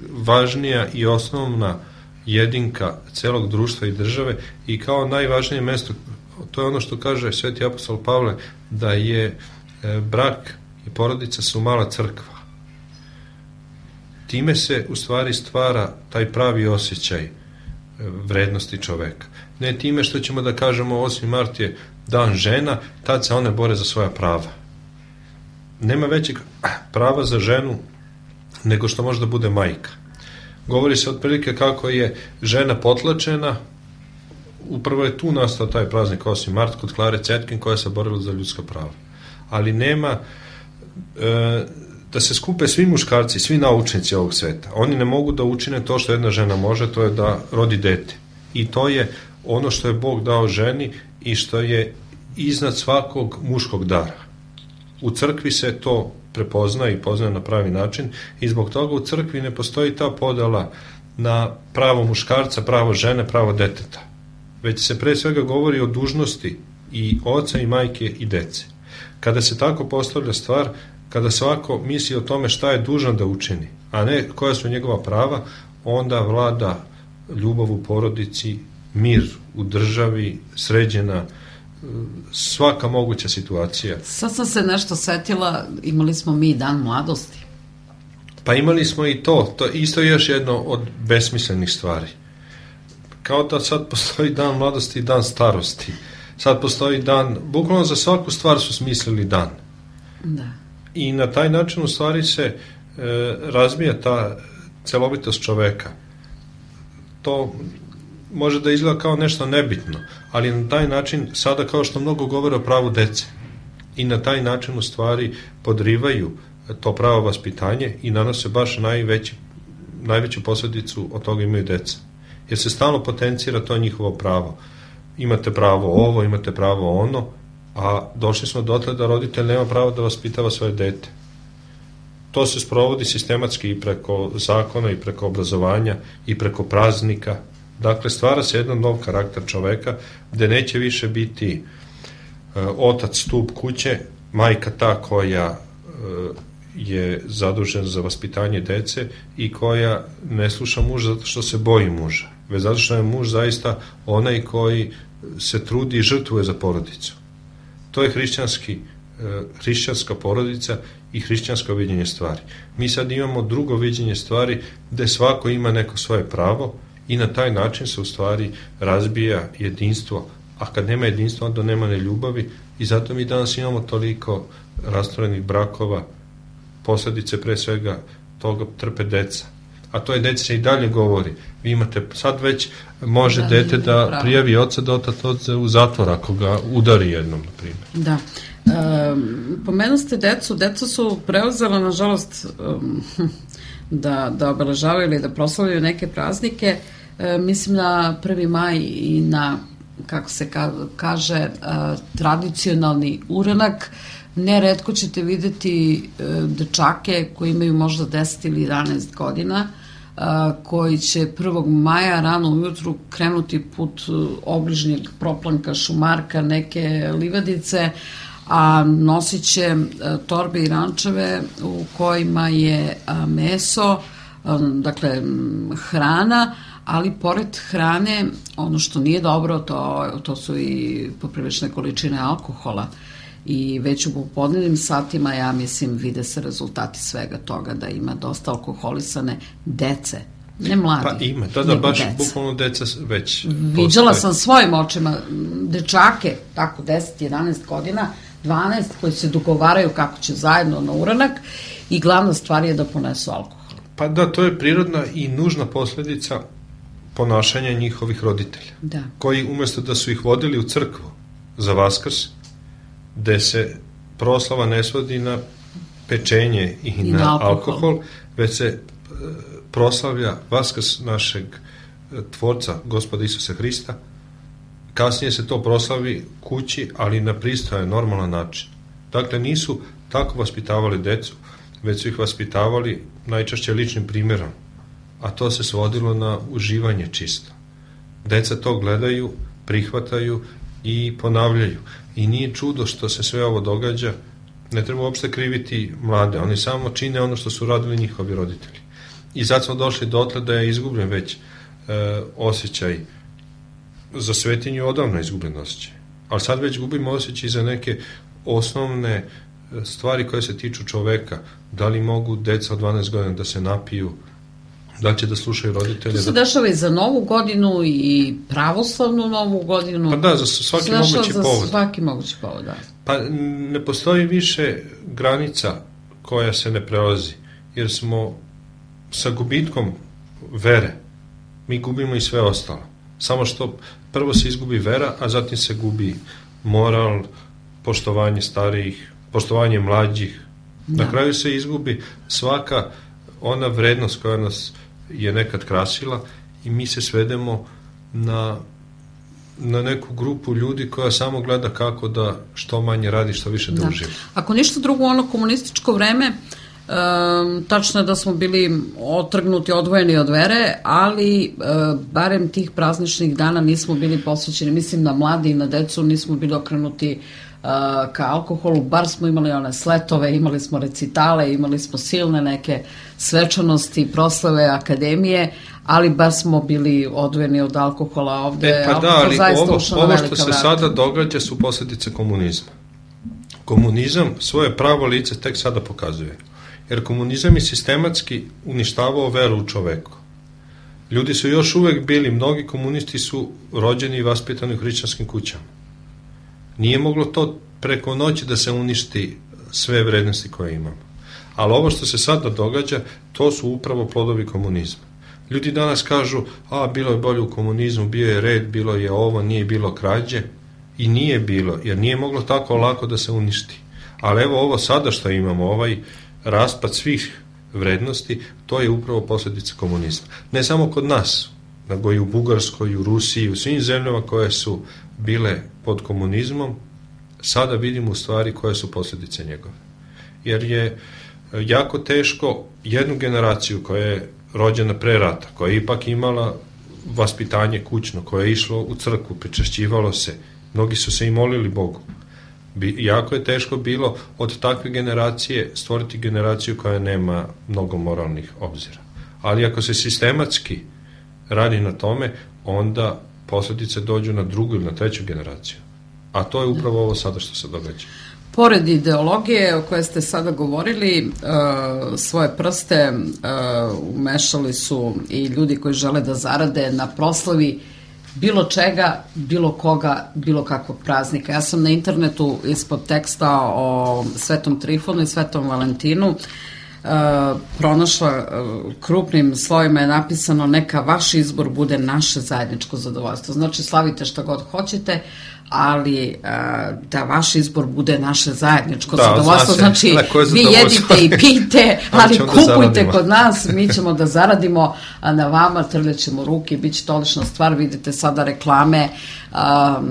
najvažnija i osnovna jedinka celog društva i države i kao najvažnije mesto, to je ono što kaže sveti apostol Pavle, da je e, brak i porodica su mala crkva. Time se u stvari stvara taj pravi osjećaj vrednosti čoveka. Ne time što ćemo da kažemo osmi mart je dan žena, tad se one bore za svoja prava. Nema većeg prava za ženu nego što može da bude majka. Govori se otprilike kako je žena potlačena, upravo je tu nastao taj praznik osmi mart kod Klare Cetkin koja se borila za ljudska prava. Ali nema e, da se skupe svi muškarci, svi naučnici ovog sveta. Oni ne mogu da učine to što jedna žena može, to je da rodi dete. I to je ono što je Bog dao ženi i što je iznad svakog muškog dara. U crkvi se to prepozna i pozna na pravi način i zbog toga u crkvi ne postoji ta podela na pravo muškarca, pravo žene, pravo deteta. Već se pre svega govori o dužnosti i oca i majke i dece. Kada se tako postavlja stvar, kada svako misli o tome šta je dužan da učini, a ne koja su njegova prava, onda vlada ljubav u porodici, mir u državi, sređena svaka moguća situacija. Sad sam se nešto setila, imali smo mi dan mladosti. Pa imali smo i to, to isto je još jedno od besmislenih stvari. Kao da sad postoji dan mladosti i dan starosti. Sad postoji dan, bukvalno za svaku stvar su smislili dan. Da. I na taj način u stvari se e, razbija ta celovitost čoveka. To može da izgleda kao nešto nebitno, ali na taj način sada kao što mnogo govore o pravu dece i na taj način u stvari podrivaju to pravo vaspitanje i nanose baš najveći, najveću posledicu od toga imaju deca. Jer se stalno potencira to njihovo pravo. Imate pravo ovo, imate pravo ono, a došli smo dotle da roditelj nema pravo da vaspitava svoje dete. To se sprovodi sistematski i preko zakona i preko obrazovanja i preko praznika. Dakle, stvara se jedan nov karakter čoveka gde neće više biti e, otac stup kuće, majka ta koja e, je zadužena za vaspitanje dece i koja ne sluša muža zato što se boji muža, već zato što je muž zaista onaj koji se trudi i žrtvuje za porodicu. To je hrišćanski, e, hrišćanska porodica i hrišćansko viđenje stvari. Mi sad imamo drugo viđenje stvari gde svako ima neko svoje pravo i na taj način se u stvari razbija jedinstvo, a kad nema jedinstva onda nema ne ljubavi i zato mi danas imamo toliko rastvorenih brakova, posledice pre svega toga trpe deca. A to je deca se i dalje govori. Vi imate, sad već može da, dete da pravo. prijavi oca da otac odze u zatvor ako ga udari jednom, na primjer. Da. E, pomenu ste decu, deca su preuzela, nažalost, um, da, da obeležavaju ili da proslavljaju neke praznike. E, mislim na prvi maj i na, kako se ka, kaže, e, tradicionalni uranak. Neretko ćete videti e, dečake koji imaju možda deset ili jedanaest godina, a, koji će prvog maja rano ujutru krenuti put obližnjeg proplanka šumarka, neke livadice, a nosit će torbe i rančeve u kojima je a, meso, a, dakle hrana, ali pored hrane ono što nije dobro to, to su i poprilične količine alkohola. I već u popodnevnim satima, ja mislim, vide se rezultati svega toga, da ima dosta alkoholisane dece, ne mladi. Pa ima, da, da, baš deca. Bukvalno deca već Viđala postoje. sam svojim očima dečake, tako deset jedanaest godina, dvanaest, koji se dogovaraju kako će zajedno na uranak i glavna stvar je da ponesu alkohol. Pa da, to je prirodna i nužna posledica ponašanja njihovih roditelja, Da. koji umesto da su ih vodili u crkvu za Vaskrs, gde se proslava ne svodi na pečenje i, I na, na alkohol. alkohol, već se e, proslavlja Vaskrs našeg e, tvorca, Gospoda Isusa Hrista. Kasnije se to proslavi kući, ali na pristojan, normalan način. Dakle, nisu tako vaspitavali decu. već su ih vaspitavali najčešće ličnim primjerom, a to se svodilo na uživanje čisto. Deca to gledaju, prihvataju i ponavljaju. I nije čudo što se sve ovo događa, ne treba uopšte kriviti mlade, oni samo čine ono što su radili njihovi roditelji. I sad smo došli dotle da je izgubljen već e, osjećaj za svetinju, odavno izgubljen osjećaj. Ali sad već gubimo osjećaj za neke osnovne stvari koje se tiču čoveka. Da li mogu deca od dvanaest godina da se napiju, da li će da slušaju roditelje. To se dešava i za novu godinu i pravoslavnu novu godinu. Pa da, za svaki mogući povod. Za svaki mogući povod, da. Pa ne postoji više granica koja se ne prelazi, jer smo sa gubitkom vere, mi gubimo i sve ostalo. Samo što prvo se izgubi vera, a zatim se gubi moral, poštovanje starijih, poštovanje mlađih. Da. Na kraju se izgubi svaka ona vrednost koja nas je nekad krasila i mi se svedemo na, na neku grupu ljudi koja samo gleda kako da što manje radi, što više da, da. uživa. Ako ništa drugo, ono komunističko vreme, Um, tačno je da smo bili otrgnuti, odvojeni od vere, ali uh, barem tih prazničnih dana nismo bili posvećeni, mislim na mladi i na decu, nismo bili okrenuti uh, ka alkoholu, bar smo imali one sletove, imali smo recitale, imali smo silne neke svečanosti, proslave, akademije, ali bar smo bili odvojeni od alkohola ovde. E, pa da, ali ovo, ovo što se vrata. sada događa su posljedice komunizma. Komunizam svoje pravo lice tek sada pokazuje. Jer komunizam je sistematski uništavao veru u čoveku. Ljudi su još uvek bili, mnogi komunisti su rođeni i vaspitani u hrišćanskim kućama. Nije moglo to preko noći da se uništi sve vrednosti koje imamo. Ali ovo što se sada događa, to su upravo plodovi komunizma. Ljudi danas kažu, a bilo je bolje u komunizmu, bio je red, bilo je ovo, nije bilo krađe. I nije bilo, jer nije moglo tako lako da se uništi. Ali evo ovo sada što imamo, ovaj raspad svih vrednosti, to je upravo posljedica komunizma. Ne samo kod nas, nego i u Bugarskoj, i u Rusiji, u svim zemljama koje su bile pod komunizmom, sada vidimo u stvari koje su posljedice njegove. Jer je jako teško jednu generaciju koja je rođena pre rata, koja je ipak imala vaspitanje kućno, koja je išlo u crkvu, pričešćivalo se, mnogi su se i molili Bogu. Jako je teško bilo od takve generacije stvoriti generaciju koja nema mnogo moralnih obzira. Ali ako se sistematski radi na tome, onda posljedice dođu na drugu ili na treću generaciju. A to je upravo ovo sada što se događa. Pored ideologije o kojoj ste sada govorili, svoje prste umešali su i ljudi koji žele da zarade na proslavi bilo čega, bilo koga, bilo kakvog praznika. Ja sam na internetu ispod teksta o Svetom Trifonu i Svetom Valentinu uh, pronašla uh, krupnim slovima je napisano neka vaš izbor bude naše zajedničko zadovoljstvo. Znači slavite šta god hoćete, ali uh, da vaš izbor bude naše zajedničko da, zadovoljstvo. Znači vi jedite i pijte, ali kupujte kod nas, mi ćemo da zaradimo, a na vama trljaćemo ruke, bit će to odlična stvar. Vidite sada reklame, uh,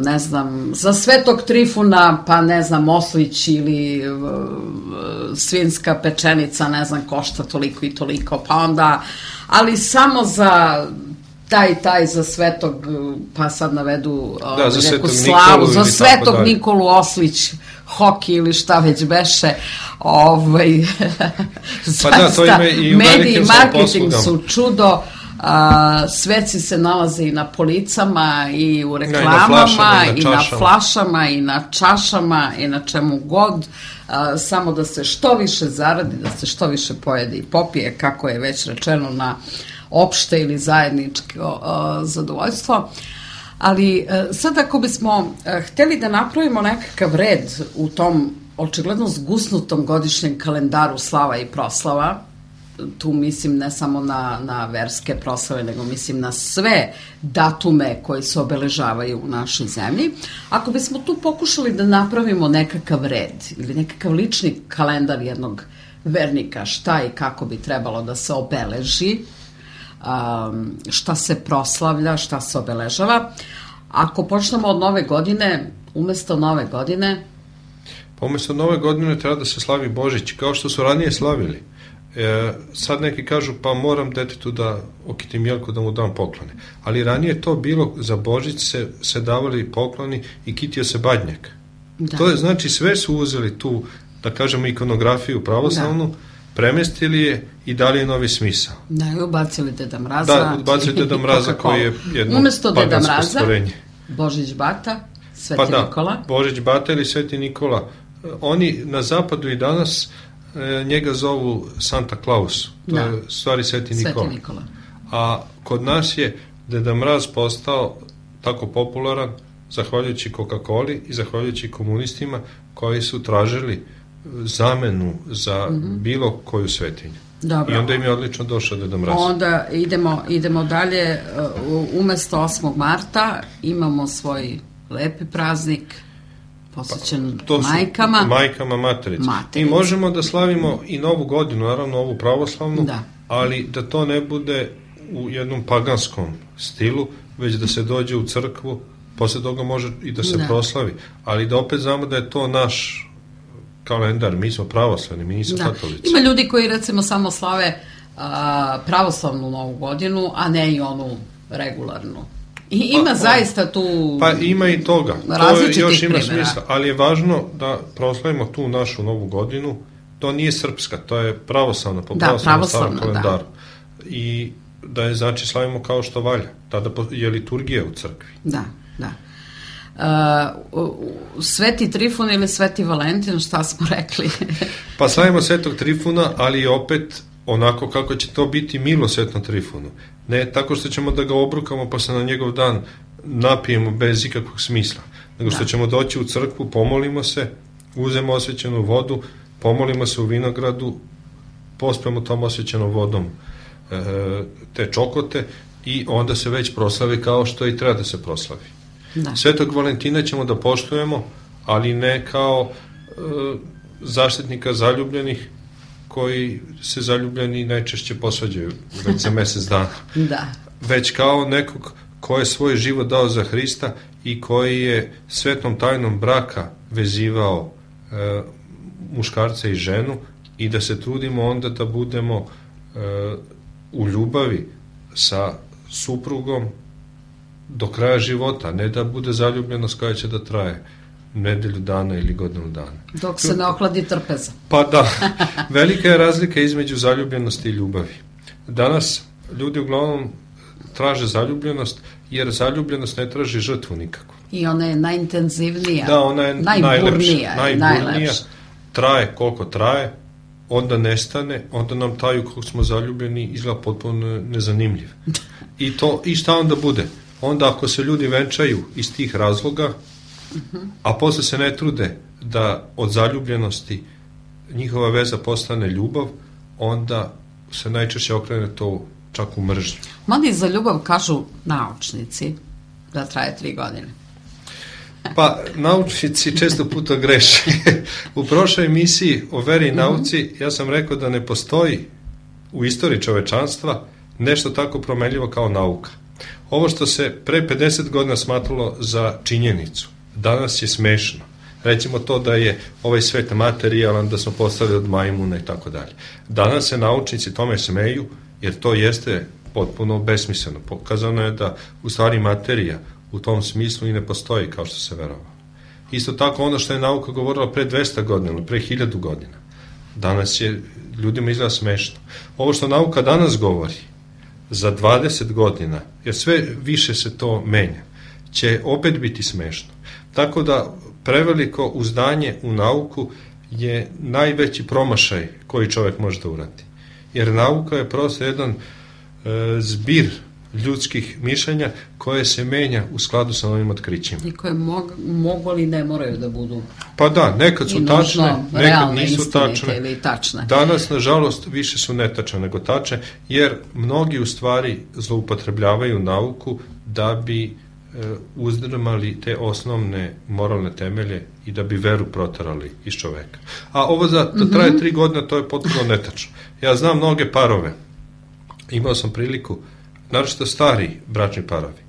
ne znam, za Svetog Trifuna, pa ne znam, oslić ili uh, svinska pečenica, ne znam, košta toliko i toliko, pa onda, ali samo za taj, taj za Svetog, pa sad navedu da, za neku slavu, za Svetog Nikolu Oslić, hoki ili šta već beše, ovaj, pa da, to ime i u mediji i marketing su čudo, a, sveci se nalaze i na policama i u reklamama i na, i na flašama i na čašama i na čemu god, a, samo da se što više zaradi, da se što više pojede i popije, kako je već rečeno, na opšte ili zajedničko uh, zadovoljstvo. Ali uh, sad ako bismo uh, hteli da napravimo nekakav red u tom očigledno zgusnutom godišnjem kalendaru slava i proslava, tu mislim ne samo na, na verske proslave, nego mislim na sve datume koji se obeležavaju u našoj zemlji, ako bismo tu pokušali da napravimo nekakav red ili nekakav lični kalendar jednog vernika, šta i kako bi trebalo da se obeleži, Um, šta se proslavlja, šta se obeležava. Ako počnemo od nove godine, umesto nove godine... Umjesto nove godine treba da se slavi Božić, kao što su ranije slavili. E, sad neki kažu pa moram detetu da okitim jelku da mu dam poklone. Ali ranije to bilo, za Božić se, se davali pokloni i kitio se badnjak. Da. To je, znači, sve su uzeli tu, da kažemo, ikonografiju pravoslavnu, da. Premestili je i dali je novi smisao. Da, i ubacili Deda Mraza. Da, ubacili Deda Mraza koji je jedno umjesto Deda Mraza, stvorenje. Božić Bata, Sveti pa da, Nikola. Božić Bata ili Sveti Nikola. Oni na zapadu i danas e, njega zovu Santa Claus. To da. je stvari Sveti Nikola. Sveti Nikola. A kod nas je Deda Mraz postao tako popularan zahvaljujući Coca-Coli i zahvaljujući komunistima koji su tražili zamenu za mm-hmm. bilo koju svetinju. Dobro. I onda im je odlično došao Deda Mraz. Onda idemo, idemo dalje. Umesto osmog marta imamo svoj lepi praznik posvećen pa, majkama. Majkama, materici. materici. I možemo da slavimo i novu godinu, naravno ovu pravoslavnu, da. ali da to ne bude u jednom paganskom stilu, već da se dođe u crkvu, posle toga može i da se da. proslavi, ali da opet znamo da je to naš kalendar, mi smo pravoslavni, mi nismo da. katolici. Ima ljudi koji recimo samo slave a, pravoslavnu novu godinu, a ne i onu regularnu. I ima pa, zaista tu pa ima i toga, to je, još ima primjera. Smisla, ali je važno da proslavimo tu našu novu godinu, to nije srpska, to je pravoslavna, po da, pravoslavnom starom kalendaru. Da. I da je, znači, slavimo kao što valja, tada je liturgija u crkvi. Da, da. Uh, Sveti Trifun ili Sveti Valentin, šta smo rekli? Pa slavimo Svetog Trifuna, ali opet onako kako će to biti milosvetno Trifunu. Ne tako što ćemo da ga obrukamo pa se na njegov dan napijemo bez ikakvog smisla, nego što da. ćemo doći u crkvu, pomolimo se, uzemo osvećenu vodu, pomolimo se u vinogradu, pospemo tom osvećenom vodom e, te čokote i onda se već proslavi kao što i treba da se proslavi. Da. Svetog Valentina ćemo da poštujemo, ali ne kao e, zaštitnika zaljubljenih koji se zaljubljeni najčešće posvađaju već za mesec dana. Da. Već kao nekog ko je svoj život dao za Hrista i koji je svetnom tajnom braka vezivao e, muškarca i ženu i da se trudimo onda da budemo e, u ljubavi sa suprugom do kraja života, ne da bude zaljubljenost koja će da traje nedelju dana ili godinu dana. Dok se ne ohladi trpeza. Pa da, velika je razlika između zaljubljenosti i ljubavi. Danas ljudi uglavnom traže zaljubljenost, jer zaljubljenost ne traži žrtvu nikako. I ona je najintenzivnija, da, ona je najburnija. Najburnija, najlepša. Traje koliko traje, onda nestane, onda nam taj kako smo zaljubljeni izgleda potpuno nezanimljiv. I, to, i šta onda bude? Onda ako se ljudi venčaju iz tih razloga, uh-huh. a posle se ne trude da od zaljubljenosti njihova veza postane ljubav, onda se najčešće okrene to čak u mržnju. Mada za ljubav kažu naučnici da traje tri godine. Pa naučnici često puta greše. U prošloj emisiji o veri i nauci ja sam rekao da ne postoji u istoriji čovečanstva nešto tako promenljivo kao nauka. Ovo što se pre pedeset godina smatralo za činjenicu, danas je smešno. Recimo to da je ovaj svet materijalan, da smo postali od majmuna i tako dalje. Danas se naučnici tome smeju, jer to jeste potpuno besmisleno. Pokazano je da u stvari materija u tom smislu i ne postoji kao što se verovalo. Isto tako ono što je nauka govorila pre dvesta godina, pre hiljadu godina, danas je ljudima izgleda smešno. Ovo što nauka danas govori, za dvadeset godina, jer sve više se to menja, će opet biti smešno. Tako da preveliko uzdanje u nauku je najveći promašaj koji čovjek može da uradi. Jer nauka je prosto jedan e, zbir ljudskih mišljenja koje se menja u skladu sa novim otkrićima. I koje mog, mogu ali ne moraju da budu pa da, nekad su tačne, nekad nisu tačne. Ili tačne. Danas, nažalost, više su netačne nego tačne, jer mnogi u stvari zloupotrebljavaju nauku da bi e, uzdrmali te osnovne moralne temelje i da bi veru proterali iz čoveka. A ovo za, da traje mm-hmm. tri godina, to je potpuno netačno. Ja znam mnoge parove, imao sam priliku, naročito stari bračni parovi,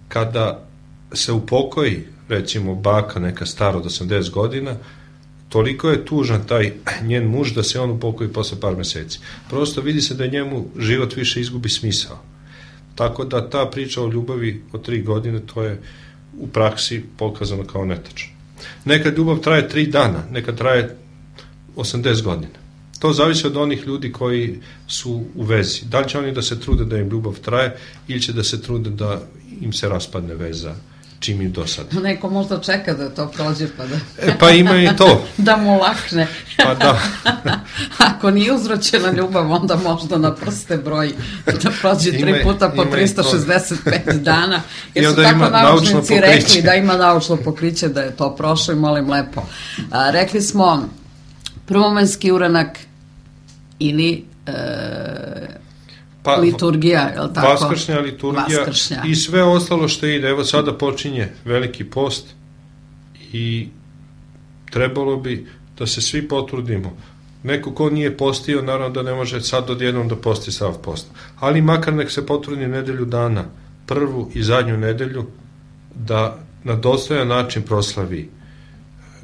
kada se upokoji, recimo baka neka stara od osamdeset godina, toliko je tužan taj njen muž da se on upokoji posle par meseci. Prosto vidi se da njemu život više izgubi smisao. Tako da ta priča o ljubavi od tri godine, to je u praksi pokazano kao netačno. Nekad ljubav traje tri dana, nekad traje osamdeset godina. To zavisi od onih ljudi koji su u vezi. Da li će oni da se trude da im ljubav traje ili će da se trude da im se raspadne veza čim im dosadi. Neko možda čeka da to prođe pa da... E, pa ima i to. Da mu lakne. Pa da. Ako nije uzročena ljubav, onda možda na prste broji da prođe tri Ima, puta po ima tristo šezdeset pet dana. Jer su tako naučnici naučnici rekli da ima naučno pokriće, da je to prošlo i molim lepo. A, rekli smo prvomanski uranak ili e, pa, liturgija, je li tako? Vaskršnja liturgija Vaskršnja. I sve ostalo što ide. Evo sada počinje veliki post i trebalo bi da se svi potrudimo. Neko ko nije postio, naravno da ne može sad odjednom da posti sav post. Ali makar nek se potrudi nedelju dana, prvu i zadnju nedelju, da na dostojan način proslavi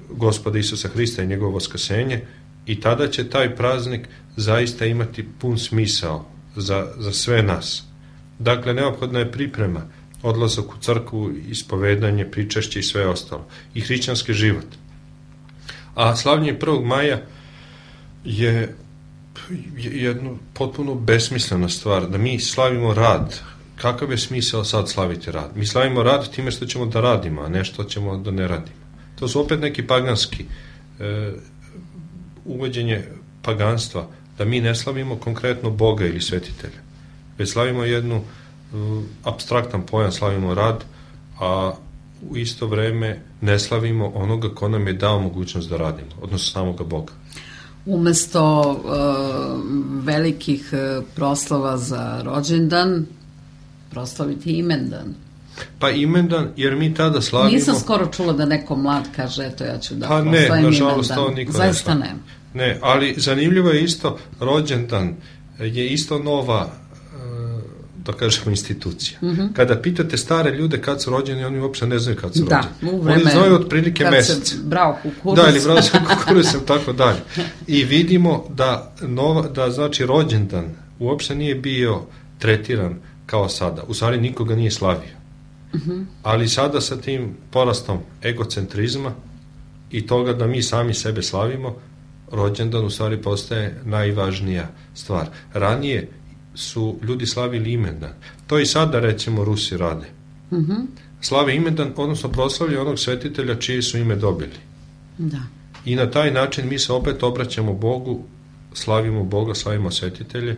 Gospoda Isusa Hrista i njegovo vaskrsenje i tada će taj praznik zaista imati pun smisao za, za sve nas. Dakle, neophodna je priprema, odlazak u crkvu, ispovedanje, pričešće i sve ostalo. I hrišćanski život. A slavljenje prvog maja je jedna potpuno besmislena stvar, da mi slavimo rad. Kakav je smisao sad slaviti rad? Mi slavimo rad time što ćemo da radimo, a ne što ćemo da ne radimo. To su opet neki paganski e, uvođenje paganstva, da mi ne slavimo konkretno Boga ili svetitelja, već slavimo jednu e, apstraktan pojam, slavimo rad, a u isto vreme ne slavimo onoga ko nam je dao mogućnost da radimo, odnosno samoga Boga. Umesto uh, velikih uh, proslava za rođendan, proslaviti imendan. Pa imendan, jer mi tada slavimo... Nisam skoro čula da neko mlad kaže, eto ja ću da pa proslavim imendan. Ne, nažalost to niko zaista ne ne. Ne, ali zanimljivo je isto, rođendan je isto nova, da kažemo, institucija. Mm-hmm. Kada pitate stare ljude kad su rođeni, oni uopšte ne znaju kad su da, rođeni. U vreme, oni znaju otprilike mesec. Kad se brao kukuruz. Da, ili brao se kukuruz, tako dalje. I vidimo da, nova, da znači rođendan uopšte nije bio tretiran kao sada. U stvari nikoga nije slavio. Mm-hmm. Ali sada sa tim porastom egocentrizma i toga da mi sami sebe slavimo, rođendan u stvari postaje najvažnija stvar. Ranije su ljudi slavili imendan. To i sada, recimo, Rusi rade. Mm-hmm. Slave imendan, odnosno proslavljaju onog svetitelja čije su ime dobili. Da. I na taj način mi se opet obraćamo Bogu, slavimo Boga, slavimo svetitelje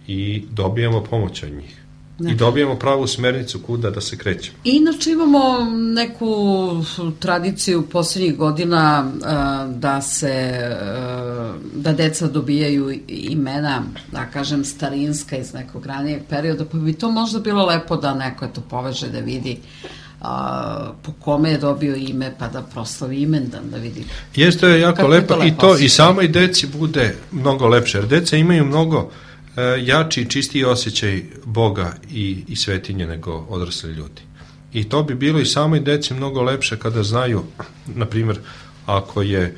i dobijamo pomoć od njih. Da. I dobijemo pravu smernicu kuda da se krećemo. Inače imamo neku tradiciju posljednjih godina da se da deca dobijaju imena, da kažem, starinska iz nekog ranijeg perioda, pa bi to možda bilo lepo da neko to poveže, da vidi a, po kome je dobio ime, pa da proslavi imendan, da vidi. Jeste, je jako lepo, to i to osjeća. I samoj deci bude mnogo lepše, jer deca imaju mnogo jači i čistiji osjećaj Boga i, i svetinje nego odrasli ljudi. I to bi bilo i samoj deci mnogo lepše kada znaju, na primjer, ako je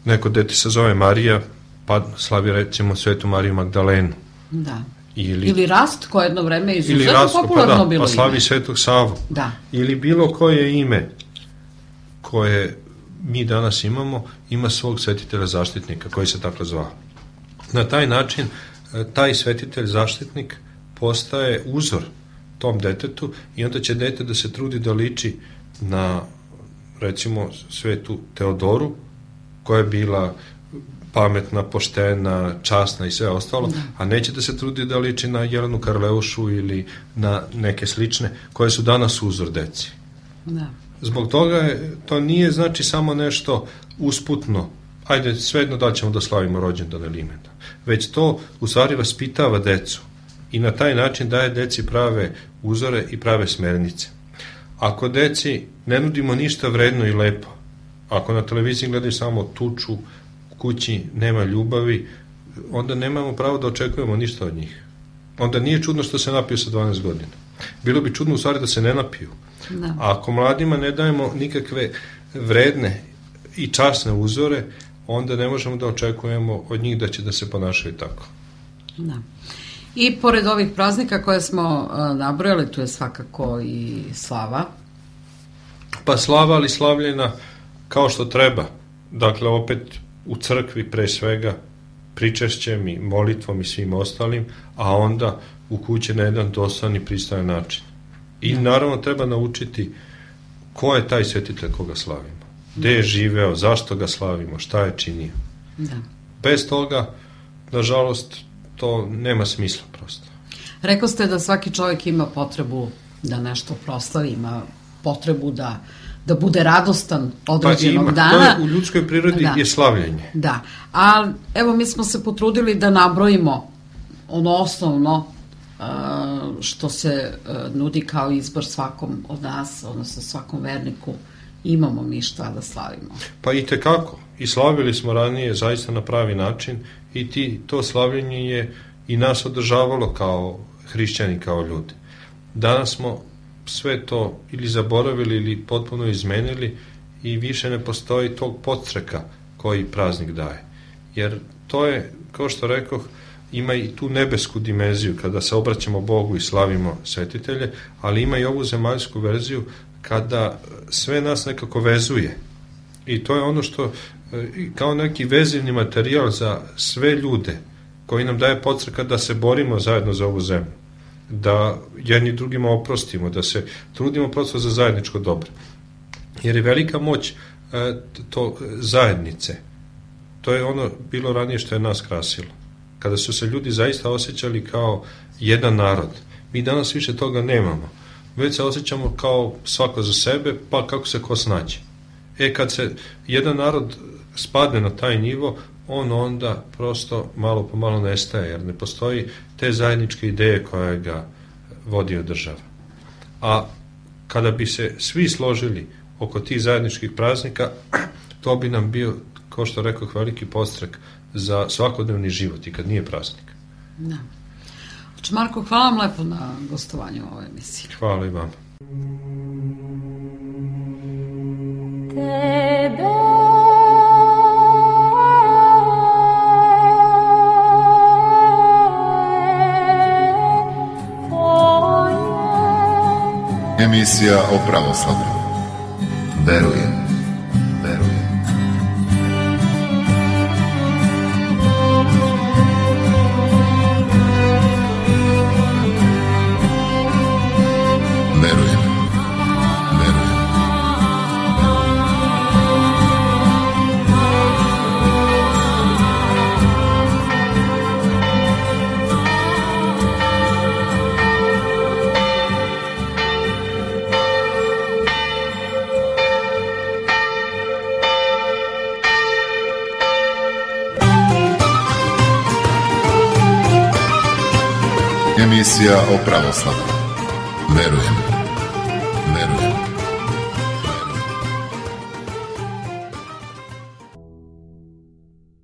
neko dete se zove Marija, pa slavi recimo Svetu Mariju Magdalenu. Da. Ili, ili Rast, koje jedno vreme izuzetno Rastko, popularno pa da, bilo pa slavi ime. Svetog Savu. Da. Ili bilo koje ime koje mi danas imamo, ima svog svetitelja zaštitnika koji se tako zvao. Na taj način taj svetitelj zaštitnik postaje uzor tom detetu i onda će dete da se trudi da liči na, recimo, Svetu Teodoru, koja je bila pametna, poštena, časna i sve ostalo, da. A neće da se trudi da liči na Jelenu Karleušu ili na neke slične koje su danas uzor deci. Da. Zbog toga je, to nije znači samo nešto usputno, ajde svejedno da ćemo da slavimo rođendan ili imendan, već to u stvari vaspitava decu i na taj način daje deci prave uzore i prave smernice. Ako deci ne nudimo ništa vredno i lepo, ako na televiziji gledaju samo tuču, kući nema ljubavi, onda nemamo pravo da očekujemo ništa od njih. Onda nije čudno što se napiju sa dvanaest godina. Bilo bi čudno u stvari da se ne napiju. Da. A ako mladima ne dajemo nikakve vredne i časne uzore, onda ne možemo da očekujemo od njih da će da se ponašaju tako. Da. I pored ovih praznika koje smo uh, nabrojali, tu je svakako i slava. Pa slava, ali slavljena kao što treba. Dakle, opet u crkvi pre svega, pričešćem i molitvom i svim ostalim, a onda u kući na jedan dostojan i pristojan način. I naravno treba naučiti ko je taj svetitelj koga slavimo. Gde je živeo, zašto ga slavimo, šta je činio. Da. Bez toga, nažalost, to nema smisla prosto. Rekao ste da svaki čovjek ima potrebu da nešto proslavi, ima potrebu da, da bude radostan određenog pa ima, dana. To je u ljudskoj prirodi da. je slavljenje. Da, a evo mi smo se potrudili da nabrojimo ono osnovno što se nudi kao izbor svakom od nas, odnosno svakom verniku. Imamo mi šta da slavimo. Pa i tekako. I slavili smo ranije zaista na pravi način i ti, to slavljenje je i nas održavalo kao hrišćani, kao ljudi. Danas smo sve to ili zaboravili ili potpuno izmenili i više ne postoji tog podstreka koji praznik daje. Jer to je, kao što rekoh, ima i tu nebesku dimenziju kada se obraćamo Bogu i slavimo svetitelje, ali ima i ovu zemaljsku verziju kada sve nas nekako vezuje. I to je ono što kao neki vezivni materijal za sve ljude koji nam daje podstreka da se borimo zajedno za ovu zemlju, da jedni drugima oprostimo, da se trudimo prosto za zajedničko dobro. Jer je velika moć to zajednice. To je ono bilo ranije što je nas krasilo. Kada su se ljudi zaista osjećali kao jedan narod. Mi danas više toga nemamo. Već se osjećamo kao svako za sebe, pa kako se ko snađe. E, kad se jedan narod spadne na taj nivo, on onda prosto malo po malo nestaje, jer ne postoji te zajedničke ideje koja ga vodi od država. A kada bi se svi složili oko tih zajedničkih praznika, to bi nam bio, kao što rekoh, veliki podstrek za svakodnevni život i kad nije praznik. Da. Znači, Marko, hvala vam lepo na gostovanju u ovoj emisiji. Hvala i vam. Tebe Emisija o pravoslavlju. Verujem, verujem. Verujem, verujem. Emisija o pravoslavlju. Verujem.